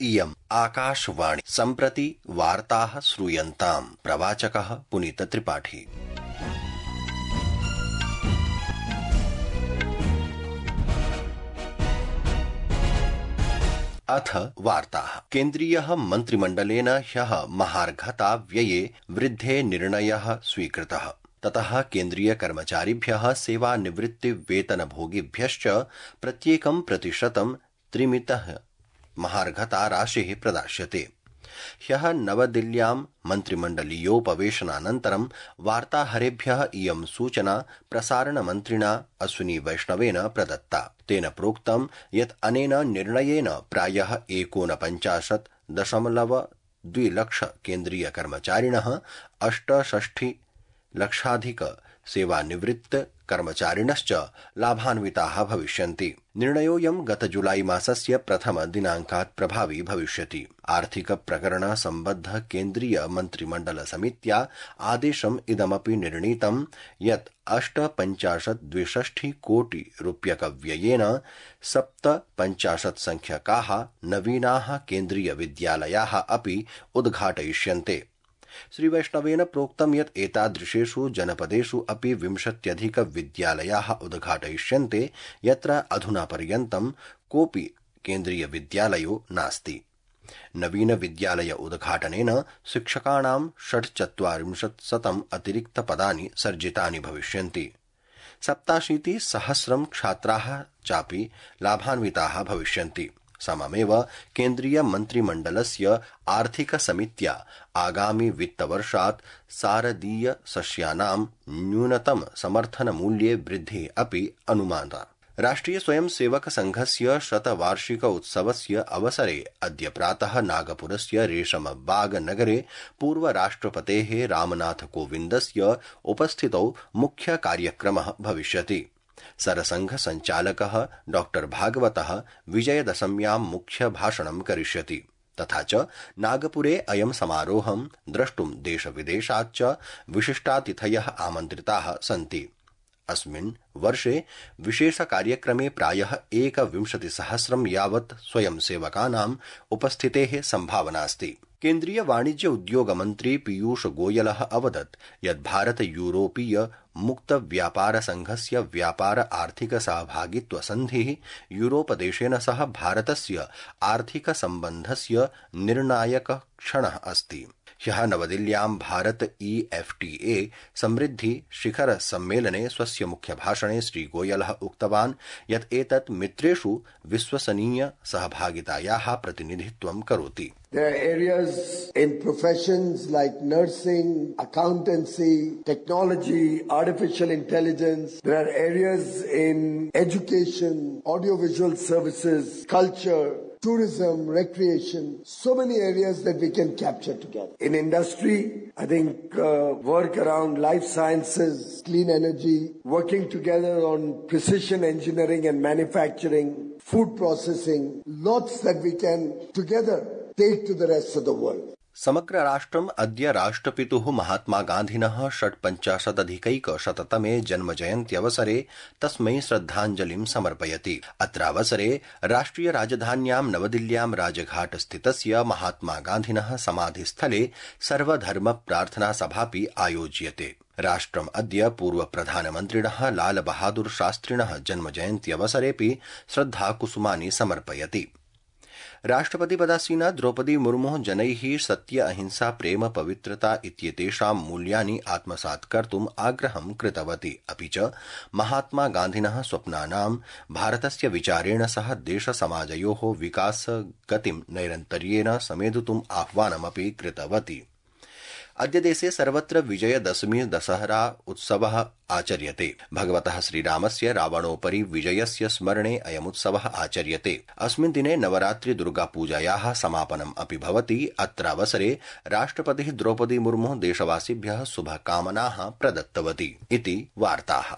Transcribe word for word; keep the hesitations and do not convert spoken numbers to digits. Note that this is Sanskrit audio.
इयम् आकाशवाणी सम्प्रति वार्ताः श्रूयन्ताम्। प्रवाचकः पुनीत त्रिपाठी। अथ वार्ताः। केन्द्रीयः मन्त्रिमण्डलेन ह्यः महार्घता व्यये वृद्धे निर्णयः स्वीकृतः। ततः केन्द्रीय कर्मचारिभ्यः सेवानिवृत्ति वेतनभोगिभ्यश्च प्रत्येकं प्रतिशतं त्रिमितः महार्घता राशिः प्रदास्यते। ह्यः नवदिल्ल्यां मन्त्रिमण्डलीयोपवेशनानन्तरं वार्ताहरेभ्यः इयं सूचना प्रसारणमन्त्रिणा अश्विनी वैष्णवेन प्रदत्ता। तेन प्रोक्तं यत् अनेन निर्णयेन प्रायः एकोनपञ्चाशत् दशमलव द्वि लक्ष केन्द्रीय कर्मचारिणः अष्टषष्टि लक्षाधिक सेवानिवृत्त कर्मचारिणश्च लाभान्विताः भविष्यन्ति। निर्णयोऽयं गत जुलाई मासस्य प्रथम दिनाङ्कात् प्रभावी भविष्यति। आर्थिक प्रकरण सम्बद्ध केन्द्रीय मन्त्रिमण्डल समित्या आदेशम् इदमपि निर्णीतं यत् अष्टपञ्चाशत् द्विषष्टि कोटि रूप्यक व्ययेन सप्तपञ्चाशत् संख्यकाः नवीनाः केन्द्रीय विद्यालयाः अपि उद्घाटयिष्यन्ते। श्रीवैष्णवेन प्रोक्तं यत् एतादृशेषु जनपदेषु अपि विंशत्यधिक विद्यालयाः उद्घाटयिष्यन्ते यत्र अधुना पर्यन्तं कोऽपि केन्द्रीय विद्यालयो नास्ति। नवीन विद्यालय उद्घाटनेन शिक्षकाणां षट्चत्वारिंशत्शतम् अतिरिक्त पदानि सर्जितानि भविष्यन्ति। सप्ताशीति सहस्रं छात्राः चापि लाभान्विताः भविष्यन्ति। सममेव केन्द्रीय मन्त्रिमण्डलस्य आर्थिक समित्या आगामि वित्तवर्षात् सारदीय सस्यानां न्यूनतम समर्थन मूल्ये वृद्धिः अपि अनुमानिता। राष्ट्रिय स्वयं सेवक संघस्य शतवार्षिक उत्सवस्य अवसरे अद्य प्रातः नागपुरस्य रेशमबाग नगरे पूर्व राष्ट्रपतेः रामनाथ कोविन्दस्य उपस्थितौ मुख्य कार्यक्रमः भविष्यति। सरसंघ संचालकः डॉक्टर भागवतः विजयदशम्यां मुख्य भाषणं करिष्यति। तथा च नागपुरे अयं समारोहं द्रष्टुं देशविदेशाच्च विशिष्टातिथयः आमन्त्रिताः सन्ति। अस्मिन् वर्षे विशेष कार्यक्रमे प्रायः एकविंशतिसहस्रं यावत् स्वयंसेवकानाम् उपस्थितेः सम्भावनास्ति। केन्द्रीय वाणिज्य उद्योग मन्त्री पीयूष गोयलः अवदत् यत् भारत यूरोपीय मुक्त व्यापार संघस्य व्यापार आर्थिक सहभागित्व संधिः यूरोपदेशेन सह भारतस्य आर्थिक सम्बन्धस्य निर्णायक क्षणः अस्ति। ह्यः नवदिल्ल्यां Bharat E F T A समृद्धि शिखर सम्मेलने स्वस्य मुख्य भाषणे श्रीगोयलः उक्तवान् यत् एतत् मित्रेषु विश्वसनीय सहभागितायाः प्रतिनिधित्वं करोति। There are areas in professions like nursing, accountancy, technology, artificial intelligence. There are areas in education, audiovisual services, culture, tourism, recreation, so many areas that we can capture together. In industry, I think uh, work around life sciences, clean energy, working together on precision engineering and manufacturing, food processing, lots that we can together take to the rest of the world. समग्र राष्ट्रम् अद्य राष्ट्रपितुः महात्मा गान्धिनः षट्पञ्चाशदधिकैकशततमे जन्मजयन्त्यवसरे तस्मै श्रद्धाञ्जलिं समर्पयति। अत्रावसरे राष्ट्रिय राजधान्यां नवदिल्ल्यां राजघाट स्थितस्य महात्मा गान्धिनः समाधिस्थले सर्वधर्म प्रार्थना सभापि आयोज्यते। राष्ट्रम् अद्य पूर्व प्रधानमन्त्रिणः लाल बहादुर शास्त्रिणः जन्मजयन्त्यवसरेऽपि श्रद्धाकुसुमानि समर्पयति। राष्ट्रपतिपदासीना द्रौपदी मुर्मुः जनैः सत्य अहिंसा प्रेम पवित्रता इत्येतेषां मूल्यानि आत्मसात् कर्तुम् आग्रहं कृतवती। अपि च महात्मा गान्धिनः स्वप्नानां भारतस्य विचारेण सह देशसमाजयोः विकासगतिं नैरन्तर्येण समेधितुम् आह्वानमपि कृतवती। अद्य देशे सर्वत्र विजयदशमी दशहरा उत्सवः आचर्यते। भगवतः श्रीरामस्य रावणोपरि विजयस्य स्मरणे अयमुत्सवः आचर्यते। अस्मिन् दिने नवरात्रि दुर्गापूजायाः समापनम् अपि भवति। अत्रावसरे राष्ट्रपतिः द्रौपदी मुर्मुः देशवासिभ्यः शुभकामनाः प्रदत्तवती इति वार्ताः।